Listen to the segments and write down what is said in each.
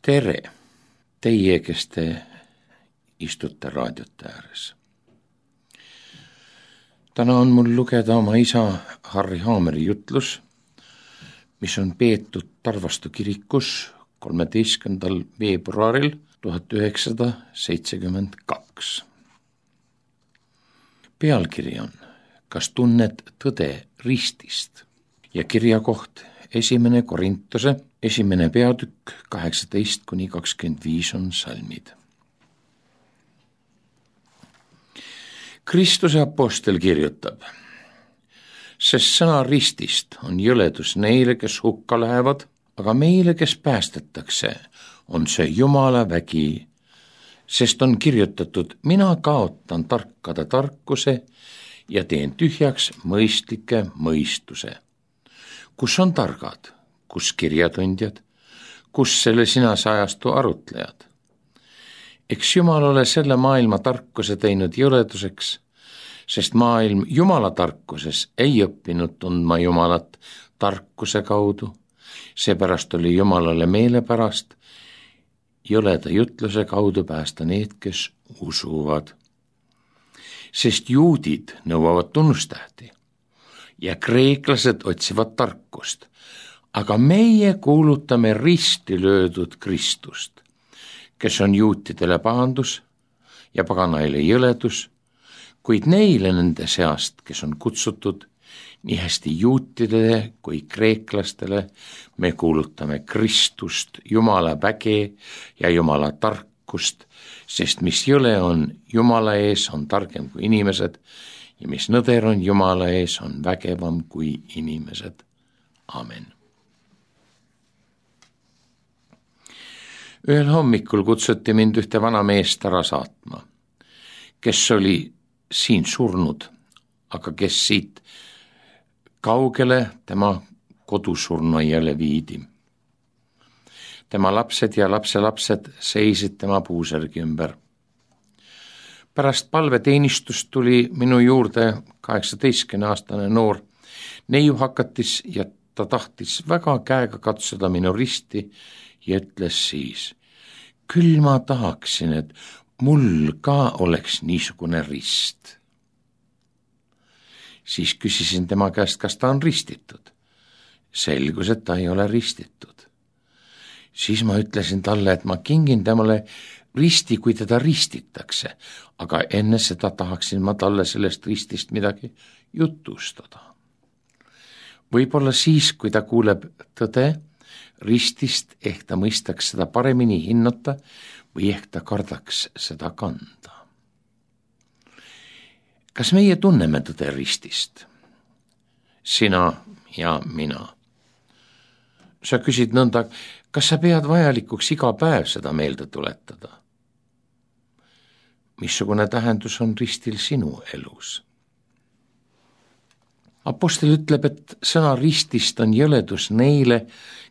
Tere, teie, kes te istute raadiote ääres. Täna on mul lugeda oma isa Harri Haameri jutlus, mis on peetud Tarvastu kirikus 13. veebruaril 1972. Pealkiri on Kas tunned tõde ristist ja kirjakoht 1. Korintuse 1. peatükk 18-25 on salmid. Kristuse apostel kirjutab, sest sõna ristist on jõledus neile, kes hukka lähevad, aga meile, kes päästetakse, on see Jumala vägi, sest on kirjutatud, mina kaotan tarkade tarkuse ja teen tühjaks mõistlike mõistuse. Kus on targad, kus kirjatundjad, kus selle sinase ajastu arutlejad? Eks Jumal ole selle maailma tarkuse teinud jõleduseks, sest maailm Jumala tarkuses ei õppinud tundma Jumalat tarkuse kaudu, seepärast oli Jumalale meelepärast jõleda jutluse kaudu päästa need, kes usuvad. Sest juudid nõuavad tunnustähti ja kreeklased otsivad tarkust, aga meie kuulutame risti löödud Kristust, kes on juutidele pahandus ja paganaile jõledus, kuid neile nende seast, kes on kutsutud, nii hästi juutidele kui kreeklastele, me kuulutame Kristust, Jumala väge ja Jumala tarkust, sest mis jõle on Jumala ees, on targem kui inimesed ja mis nõder on Jumala ees, on vägevam kui inimesed. Amen. Ühel hommikul kutsuti mind ühte vana meest ära saatma, kes oli siin surnud, aga kes siit kaugele tema kodusurnuaiale viidi. Tema lapsed ja lapselapsed seisid tema puusärgi ümber. Pärast palveteenistust tuli minu juurde 18-aastane noor neiuhakatis ja ta tahtis väga käega katsuda minu risti ja ütles siis, küll ma tahaksin, et mul ka oleks niisugune rist. Siis küsisin tema käest, kas ta on ristitud. Selgus, et ta ei ole ristitud. Siis ma ütlesin talle, et ma kingin temale risti, kui teda ristitakse, aga enne seda tahaksin ma talle sellest ristist midagi jutustada. Võib-olla siis, kui ta kuuleb tõde ristist, ehk ta mõistaks seda paremini hinnata või ehk ta kardaks seda kanda. Kas meie tunneme tõde ristist? Sina ja mina. Sa küsid nõnda, kas sa pead vajalikuks iga päev seda meelde tuletada? Missugune tähendus on ristil sinu elus? Apostel ütleb, et sõna ristist on jõledus neile,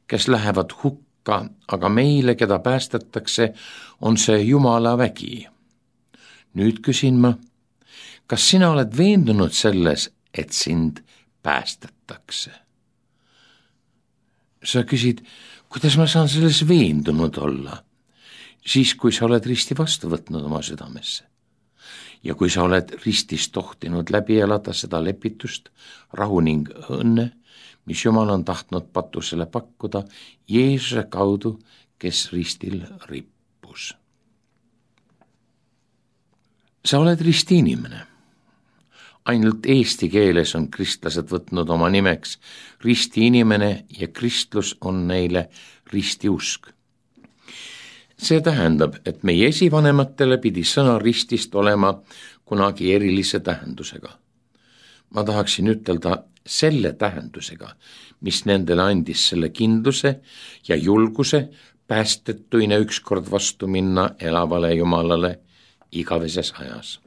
kes lähevad hukka, aga meile, keda päästetakse, on see Jumala vägi. Nüüd küsin ma, kas sina oled veendunud selles, et sind päästetakse? Sa küsid, kuidas ma saan selles veendunud olla? Siis, kui sa oled risti vastu võtnud oma südamesse. Ja kui sa oled ristist tohtinud läbi elada seda lepitust, rahu ning õnne, mis Jumal on tahtnud patusele pakkuda Jeesuse kaudu, kes ristil rippus. Sa oled risti inimene. Ainult eesti keeles on kristlased võtnud oma nimeks risti inimene ja kristlus on neile ristiusk. See tähendab, et meie esivanematele pidi sõna ristist olema kunagi erilise tähendusega. Ma tahaksin ütelda selle tähendusega, mis nendele andis selle kindluse ja julguse päästetuina ükskord vastu minna elavale Jumalale igaveses ajas.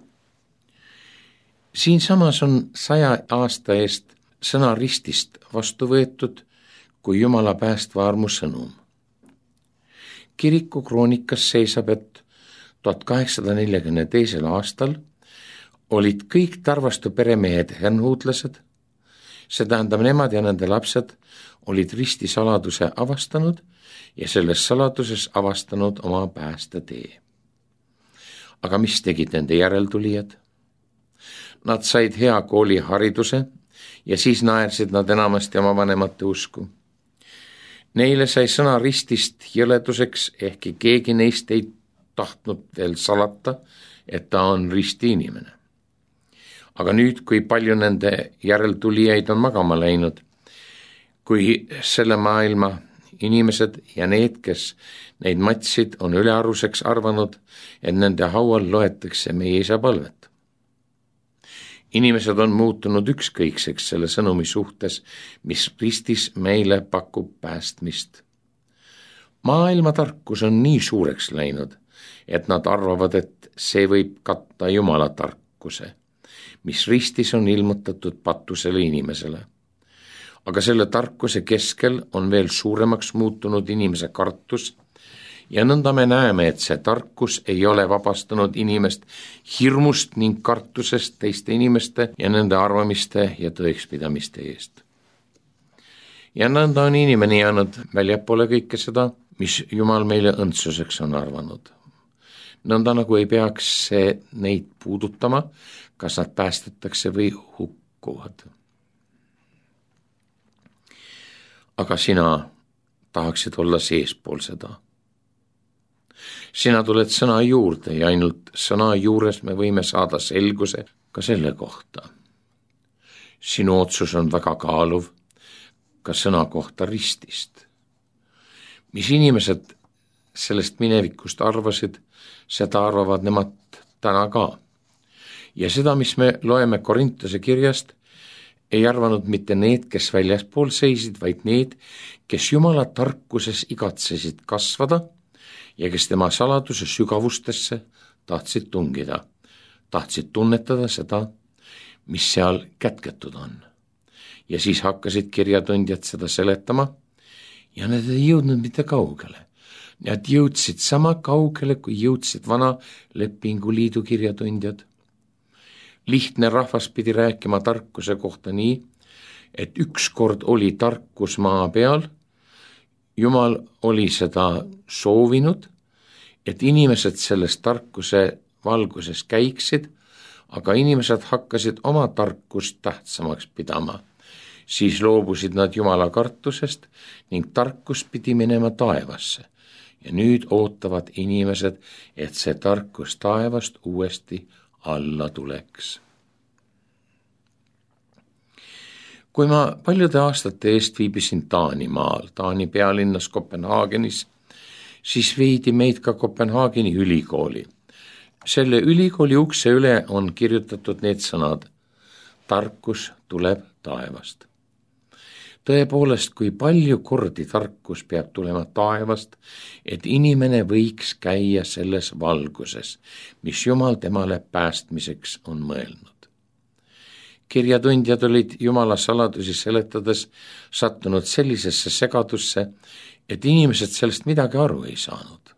Siinsamas on 100 aasta eest sõna ristist vastu võetud kui Jumala päästva armu sõnum. Kiriku kroonikas seisab, et 1842. aastal olid kõik Tarvastu peremehed hernhuutlased, See tähendab, nemad ja nende lapsed olid ristisaladuse avastanud ja selles saladuses avastanud oma päästetee. Aga mis tegid nende järeltulijad? Nad said hea koolihariduse ja siis naersid nad enamasti oma vanemate usku. Neile sai sõna ristist jõleduseks, ehkki keegi neist ei tahtnud veel salata, et ta on risti inimene. Aga nüüd, kui palju nende järeltulijaid on magama läinud, kui selle maailma inimesed ja need, kes neid matsid, on ülearuseks arvanud, et nende haual loetakse meie isa palvet. Inimesed on muutunud ükskõikseks selle sõnumi suhtes, mis ristis meile pakub päästmist. Maailma tarkus on nii suureks läinud, et nad arvavad, et see võib katta Jumala tarkuse, mis ristis on ilmutatud patusele inimesele. Aga selle tarkuse keskel on veel suuremaks muutunud inimese kartus ja nõnda me näeme, et see tarkus ei ole vabastanud inimest hirmust ning kartusest teiste inimeste ja nende arvamiste ja tõekspidamiste eest. Ja nõnda on inimene jäänud väljapoole kõike seda, mis Jumal meile õndsuseks on arvanud. Nõnda nagu ei peaks see neid puudutama, kas nad päästetakse või hukkuvad. Aga sina tahaksid olla seespool seda. Sina tuled sõna juurde ja ainult sõna juures me võime saada selguse ka selle kohta. Sinu otsus on väga kaaluv ka sõna kohta ristist. Mis inimesed sellest minevikust arvasid, seda arvavad nemad täna ka. Ja seda, mis me loeme Korintuse kirjast, ei arvanud mitte need, kes väljaspool seisid, vaid need, kes Jumala tarkuses igatsesid kasvada ja kes tema saladuse sügavustesse tahtsid tungida, tahtsid tunnetada seda, mis seal kätketud on. Ja siis hakkasid kirjatundjad seda seletama ja nad ei jõudnud mitte kaugele. Nad jõudsid sama kaugele, kui jõudsid vana lepinguliidu kirjatundjad. Lihtne rahvas pidi rääkima tarkuse kohta nii, et ükskord oli tarkus maa peal, Jumal oli seda soovinud, et inimesed selles tarkuse valguses käiksid, aga inimesed hakkasid oma tarkust tähtsamaks pidama. Siis loobusid nad Jumala kartusest ning tarkus pidi minema taevasse. Ja nüüd ootavad inimesed, et see tarkus taevast uuesti alla tuleks. Kui ma paljude aastate eest viibisin Taanimaal, Taani pealinnas Kopenhaagenis, siis viidi meid ka Kopenhaageni ülikooli. Selle ülikooli ukse üle on kirjutatud need sõnad: tarkus tuleb taevast. Tõepoolest, kui palju kordi tarkus peab tulema taevast, et inimene võiks käia selles valguses, mis Jumal temale päästmiseks on mõelnud. Kirjatundjad olid Jumala saladusi seletades sattunud sellisesse segadusse, et inimesed sellest midagi aru ei saanud.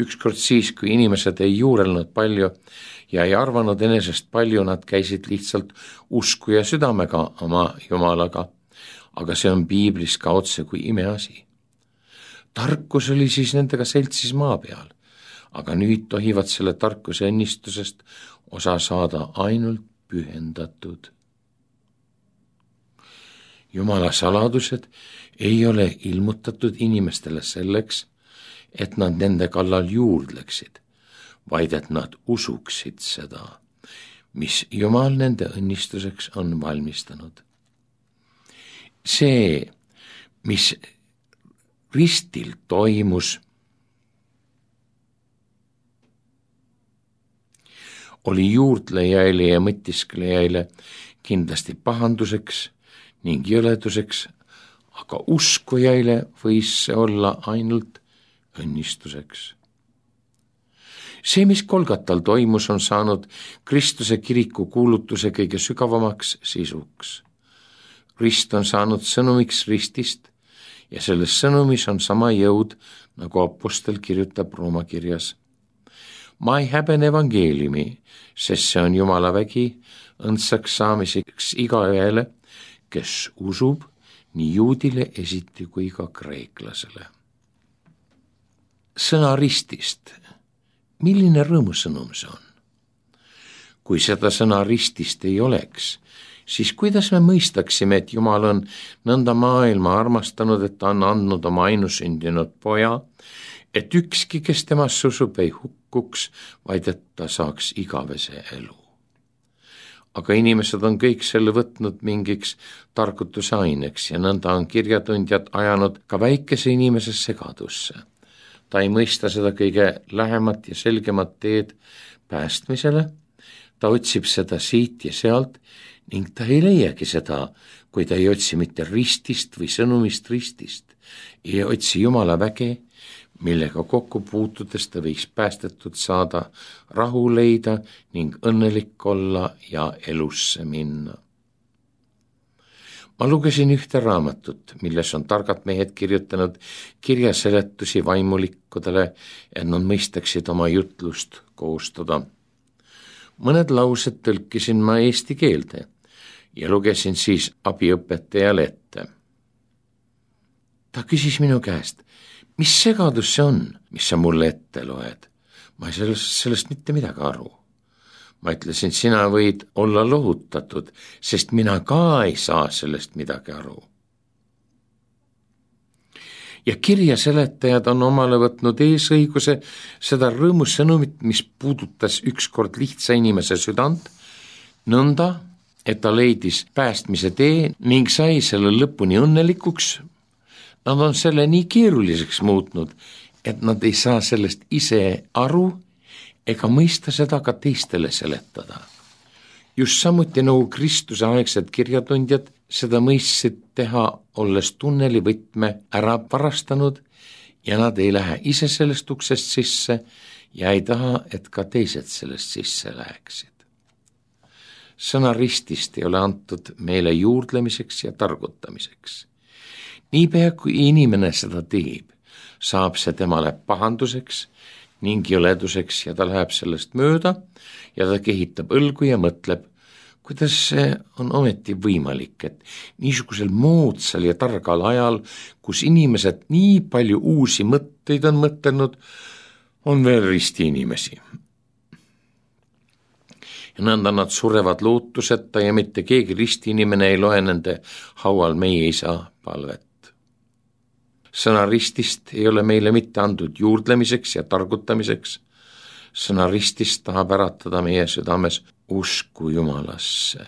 Ükskord siis, kui inimesed ei juurelnud palju ja ei arvanud enesest palju, nad käisid lihtsalt usku ja südamega oma Jumalaga, aga see on piiblis ka otse kui imeasi. Tarkus oli siis nendega seltsis maa peal, aga nüüd tohivad selle tarkuse õnnistusest osa saada ainult pühendatud. Jumala saladused ei ole ilmutatud inimestele selleks, et nad nende kallal juurdleksid, vaid et nad usuksid seda, mis Jumal nende õnnistuseks on valmistanud. See, mis ristil toimus, oli juurdlejaile ja mõtisklejaile kindlasti pahanduseks ning jõleduseks, aga uskujaile võis see olla ainult õnnistuseks. See, mis Golgatal toimus, on saanud Kristuse kiriku kuulutuse kõige sügavamaks sisuks. Rist on saanud sõnumiks ristist ja selles sõnumis on sama jõud, nagu apostel kirjutab Rooma kirjas. Ma ei häbene evangeeliumi, sest see on Jumala vägi õndsaks saamiseks igaühele, kes usub nii juudile esiti kui ka kreeklasele. Sõna ristist. Milline rõõmusõnum see on? Kui seda sõna ristist ei oleks, siis kuidas me mõistaksime, et Jumal on nõnda maailma armastanud, et ta on andnud oma ainusündinud poja, et ükski, kes temasse usub, ei hukkuks, vaid et ta saaks igavese elu. Aga inimesed on kõik selle võtnud mingiks targutuse aineks ja nõnda on kirjatundjad ajanud ka väikese inimese segadusse. Ta ei mõista seda kõige lähemat ja selgemat teed päästmisele, ta otsib seda siit ja sealt ning ta ei leiagi seda, kui ta ei otsi mitte ristist või sõnumist ristist, ei otsi Jumala väge, millega kokku puutudes ta võiks päästetud saada, rahu leida ning õnnelik olla ja elusse minna. Ma lugesin ühte raamatut, milles on targad mehed kirjutanud kirjaseletusi vaimulikkudele, et nad mõistaksid oma jutlust koostada. Mõned laused tõlkisin ma eesti keelde ja lugesin siis abiõpetajale ette. Ta küsis minu käest, mis segadus see on, mis sa mulle ette loed? Ma ei sellest mitte midagi aru. Ma ütlesin, sina võid olla lohutatud, sest mina ka ei saa sellest midagi aru. Ja kirjaseletajad on omale võtnud eesõiguse seda rõõmusõnumit, mis puudutas ükskord lihtsa inimese südant, nõnda, et ta leidis päästmise tee ning sai selle lõpuni õnnelikuks. Nad on selle nii keeruliseks muutnud, et nad ei saa sellest ise aru ega mõista seda ka teistele seletada. Just samuti nagu Kristuse aegsed kirjatundjad seda mõistsid teha, olles tunneli võtme ära varastanud ja nad ei lähe ise sellest uksest sisse ja ei taha, et ka teised sellest sisse läheksid. Sõna ristist ei ole antud meile juurdlemiseks ja targutamiseks. Niipea kui inimene seda teeb, saab see temale pahanduseks ning jõleduseks ja ta läheb sellest mööda ja ta kehitab õlgu ja mõtleb, kuidas see on ometi võimalik, et niisugusel moodsal ja targal ajal, kus inimesed nii palju uusi mõtteid on mõtelnud, on veel risti inimesi. Ja nõnda nad surevad lootuseta ja mitte keegi risti inimene ei loe nende haual meie isa palvet. Sõna ristist ei ole meile mitte andud juurdlemiseks ja targutamiseks. Sõna ristist tahab äratada meie südames usku Jumalasse,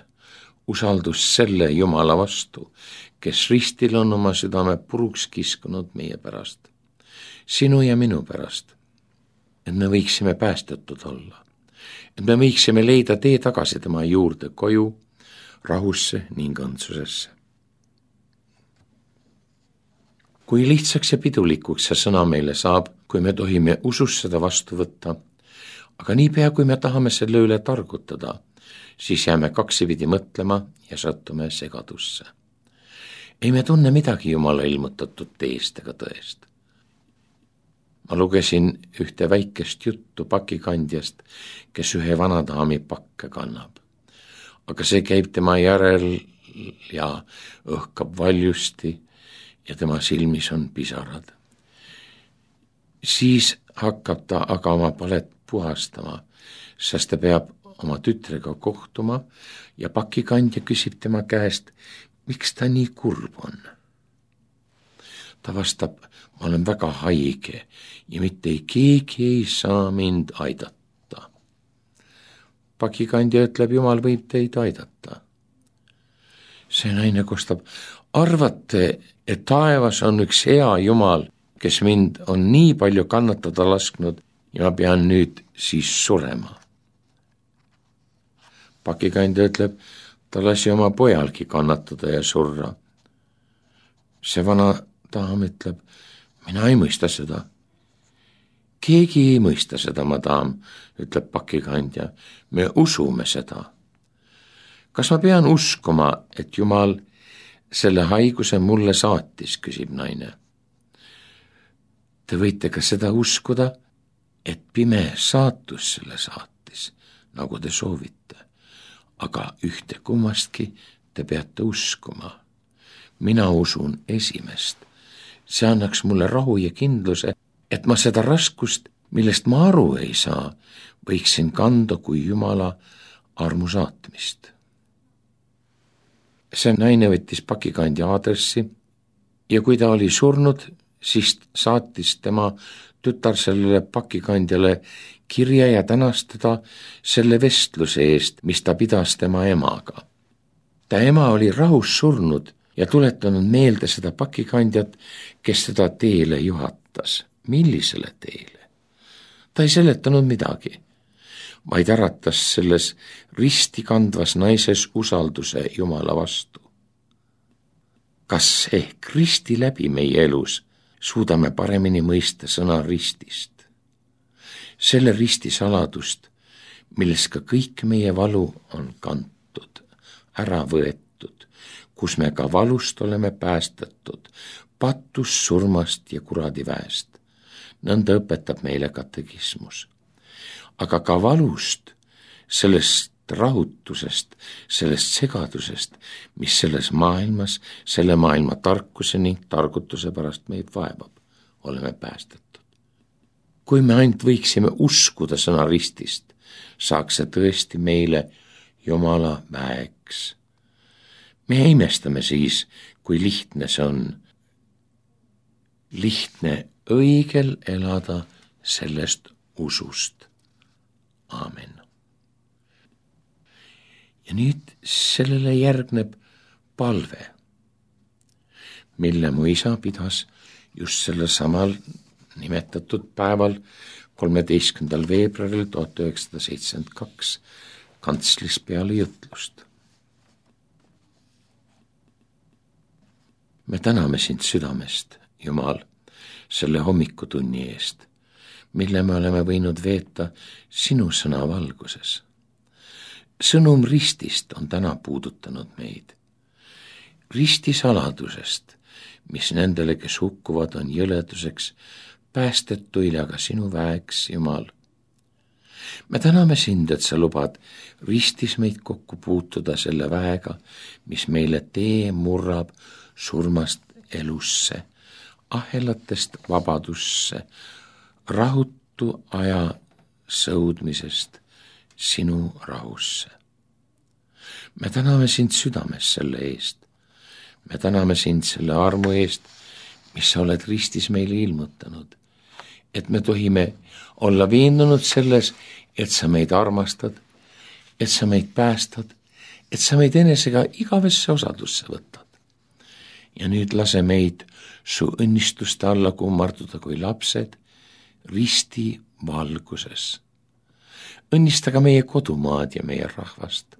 usaldus selle Jumala vastu, kes ristil on oma südame puruks kiskunud meie pärast, sinu ja minu pärast, et me võiksime päästetud olla, et me võiksime leida tee tagasi tema juurde koju, rahusse ning õndsusesse. Kui lihtsaks ja pidulikuks see sõna meile saab, kui me tohime usus seda vastu võtta, aga niipea kui me tahame selle üle targutada, siis jääme kaksipidi mõtlema ja sattume segadusse. Ei me tunne midagi Jumala ilmutatud teest ega tõest. Ma lugesin ühte väikest juttu pakikandjast, kes ühe vanadaami pakke kannab. Aga see käib tema järel ja õhkab valjusti ja tema silmis on pisarad. Siis hakkab ta aga oma palet puhastama, sest ta peab oma tütrega kohtuma ja pakikandja küsib tema käest, miks ta nii kurb on. Ta vastab, ma olen väga haige ja mitte keegi ei saa mind aidata. Pakikandja ütleb, Jumal võib teid aidata. See naine kostab, arvate, et taevas on üks hea Jumal, kes mind on nii palju kannatada lasknud ja ma pean nüüd siis surema. Pakikandja ütleb, ta lasi oma pojalgi kannatada ja surra. See vana daam ütleb, mina ei mõista seda. Keegi ei mõista seda, madam, ütleb pakikandja, me usume seda. Kas ma pean uskuma, et Jumal selle haiguse mulle saatis, küsib naine. Te võite ka seda uskuda, et pime saatus selle saatis, nagu te soovite, aga ühte kummastki te peate uskuma. Mina usun esimest. See annaks mulle rahu ja kindluse, et ma seda raskust, millest ma aru ei saa, võiksin kanda kui Jumala armu saatmist. See naine võttis pakikandja aadressi ja kui ta oli surnud, siis saatis tema tütar sellele pakikandjale kirja ja tänas teda selle vestluse eest, mis ta pidas tema emaga. Ta ema oli rahus surnud ja tuletanud meelde seda pakikandjat, kes teda teele juhatas. Millisele teele? Ta ei seletanud midagi, vaid äratas selles risti kandvas naises usalduse Jumala vastu. Kas ehk risti läbi meie elus suudame paremini mõista sõna ristist? Selle risti saladust, milles ka kõik meie valu on kantud, ära võetud, kus me ka valust oleme päästetud, patust, surmast ja kuradi väest. Nõnda õpetab meile katekismus. Aga ka valust, sellest rahutusest, sellest segadusest, mis selles maailmas, selle maailma tarkuse ning targutuse pärast meid vaevab, oleme päästetud. Kui me ainult võiksime uskuda sõna ristist, saaks see tõesti meile Jumala väeks. Me imestame siis, kui lihtne see on. Lihtne õigel elada sellest usust. Aamen. Ja nüüd sellele järgneb palve, mille mu isa pidas just selle samal nimetatud päeval 13. veebruaril 1972 kantslis peale jutlust. Me täname sind südamest, Jumal, selle hommikutunni eest, mille me oleme võinud veeta sinu sõna valguses. Sõnum ristist on täna puudutanud meid. Risti saladusest, mis nendele, kes hukkuvad, on jõleduseks, päästetuile aga sinu väeks, Jumal. Me täname sind, et sa lubad ristis meid kokku puutuda selle väega, mis meile tee murrab surmast elusse, ahelatest vabadusse, rahutu aja sõudmisest sinu rahusse. Me täname sind südames selle eest. Me täname sind selle armu eest, mis sa oled ristis meile ilmutanud, et me tohime olla veendunud selles, et sa meid armastad, et sa meid päästad, et sa meid enesega igavesse osadusse võtad. Ja nüüd lase meid su õnnistuste alla kummarduda kui lapsed risti valguses. Õnnista ka meie kodumaad ja meie rahvast.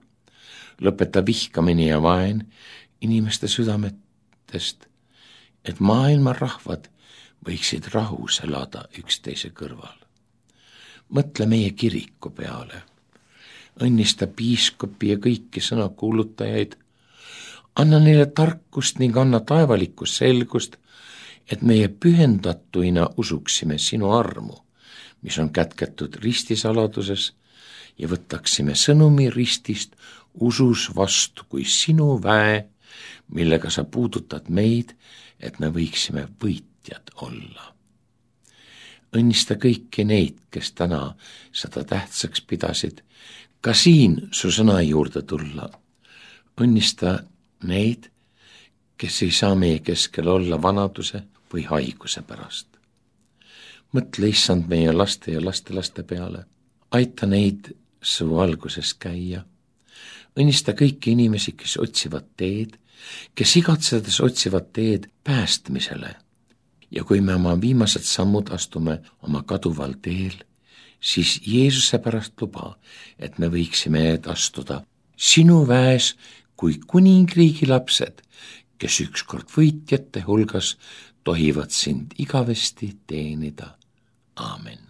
Lõpeta vihkamine ja vaen inimeste südametest, et maailma rahvad võiksid rahus elada üksteise kõrval. Mõtle meie kiriku peale. Õnnista piiskopi ja kõiki sõnakuulutajaid. Anna neile tarkust ning anna taevalikku selgust, et meie pühendatuina usuksime sinu armu, mis on kätketud ristisaladuses, ja võtaksime sõnumi ristist usus vastu kui sinu väe, millega sa puudutad meid, et me võiksime võitjad olla. Õnnista kõiki neid, kes täna seda tähtsaks pidasid, ka siin su sõna juurde tulla. Õnnista neid, kes ei saa meie keskel olla vanaduse või haiguse pärast. Mõtle, issand, meie laste ja lastelaste peale. Aita neid su valguses käia. Õnnista kõiki inimesi, kes otsivad teed, kes igatsedes otsivad teed päästmisele. Ja kui me oma viimased sammud astume oma kaduval teel, siis Jeesuse pärast luba, et me võiksime astuda sinu väes kui kuningriigi lapsed, kes ükskord võitjate hulgas tohivad sind igavesti teenida. Aamen.